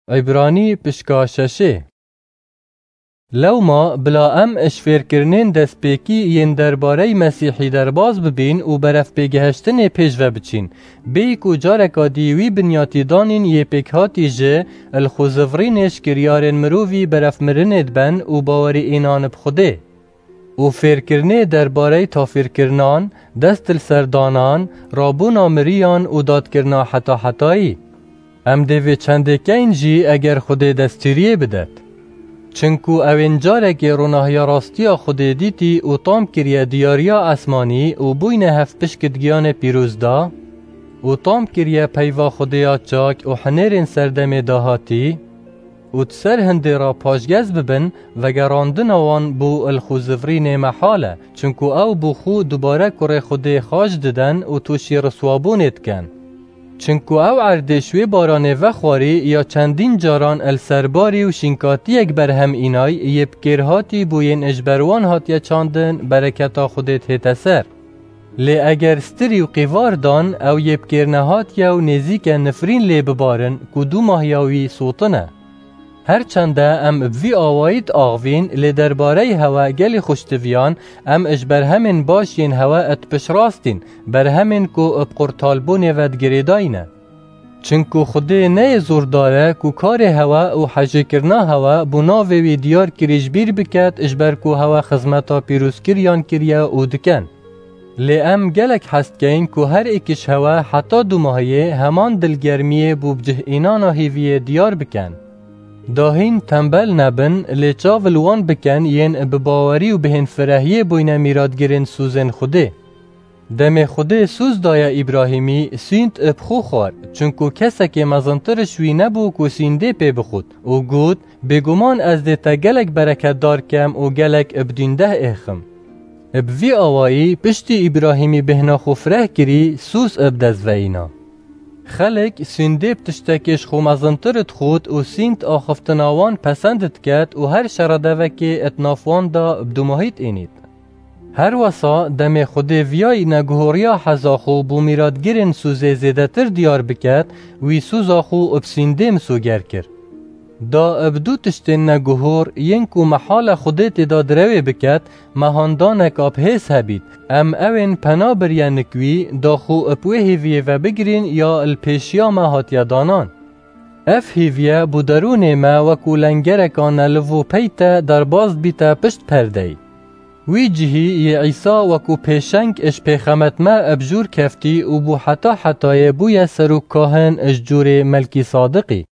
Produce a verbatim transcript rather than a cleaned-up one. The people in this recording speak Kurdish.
Îbranî pişka şeşê. Lewma bila em ji fêrkirinên destpêkî yên derbarey Mesîhî derbaz bibîn û berevpêgihiştinê pêş ve biçîn, bêyî ku careka dî wî binyatî danîn yê pêkhatî ji li xwe zivrînê ji kiryarên mirovî berevmirinê diben û bawerî înan bi Xwedê. û fêrkirinê derbarey tafîrkirinan, dest li ser danan, rabûna miriyan û dadkirina heta hetayî. Em dê vê çendê keyn jî eger Xwedê destûriyê bidet. Çinku ew ên carekê ronahiya rastiya Xwedê dîtî û tam kiriye diyariya esmanî û bûyne hevpişk di giyanê pîroz de û tam kiriye peyva Xwedê ya çak û hinêrên serdemê dahatî, û di ser hindê re paşgez bibin, vegerandina wan bo li xwe zivrînê mehal e, çinku ew bo xwe dubare kurê Xwedê xaç diden û tûşî riswabûnê dikin. Çinku ew erdê ji wê baranê vexwarî ya çendîn caran li ser barî û şînkatiyek berhem înay yê bi kêrhatî bo yên ji ber wan hatiye çandin bereketa Xwedê dihête ser. Lê eger stirî û qîvar dan, ew yê bi kêr nehatiye û nêzîk e nifrîn lê bibarin ku dûmahiya wî sotin e. Her çend e em bi vî awayî diaxivîn, lê derbareyî hewe gelî xweştiviyan, em ji berhemên baş yên hewe dipiştrastîn, berhemên ku bi qurtalbûnê ve digirêdayî ne. Çinku Xwedê ne yê zordar e ku karê hewe û hejêkirina hewe bo navê wî diyar kirî ji bîr biket, ji ber ku hewe xizmeta pîrozkiriyan kiriye û dikin. Lê em gelek hez dikeyn ku her êk ji hewe heta dûmahiyê heman dilgermiyê bo bi cih înana hêviyê diyar bikin. Dahîn tembel nebin, lê çav li wan bikin yên bi bawerî û bihênfirehiyê bûyne mîratgirên sûzên Xwedê. Demê Xwedê sûz daye Îbrahîmî, sûnd bi xwe xwar, çinku kesekê mezintir ji wî nebû ku sûndê pê bixwit û got, Bêguman ez dê te gelek bereketdar kem û gelek bi dîndeh êxim. Bi vî awayî, piştî Îbrahîmî bêhna xwe fireh kirî, sûz bi dest veyîna. Xelk sûndê bi tiştekê ji xwe mezintir dixwit û sûnd axiftina wan pesend diket û her şeredevekê di nav wan de bi dûmahî diênît. Her wesa demê Xwedê viya neguhoriya heza xwe bo mîratgirên sûzê zêdetir diyar biket, wî sûza xwe bi sûndê misoger kir. Da bi du tiştên neguhor yên ku mehala Xwedê tê de direwê biket, mehandaneka bi hêz hebît, em ewên pena biriye nik wî, da xwe bi wê hêviyê ve bigirîn ya li pêşiya me hatiye danan. Ev hêviye bo derûnê me wekû lengereka neliv û peyte derbas dibîte pişt perdeyî. Wî cihî yê Îsa wekû pêşeng ji pêxemet me bi jûr keftî û bo heta hetayê bûye serokkahin ji cûrê Melkîsadiqî.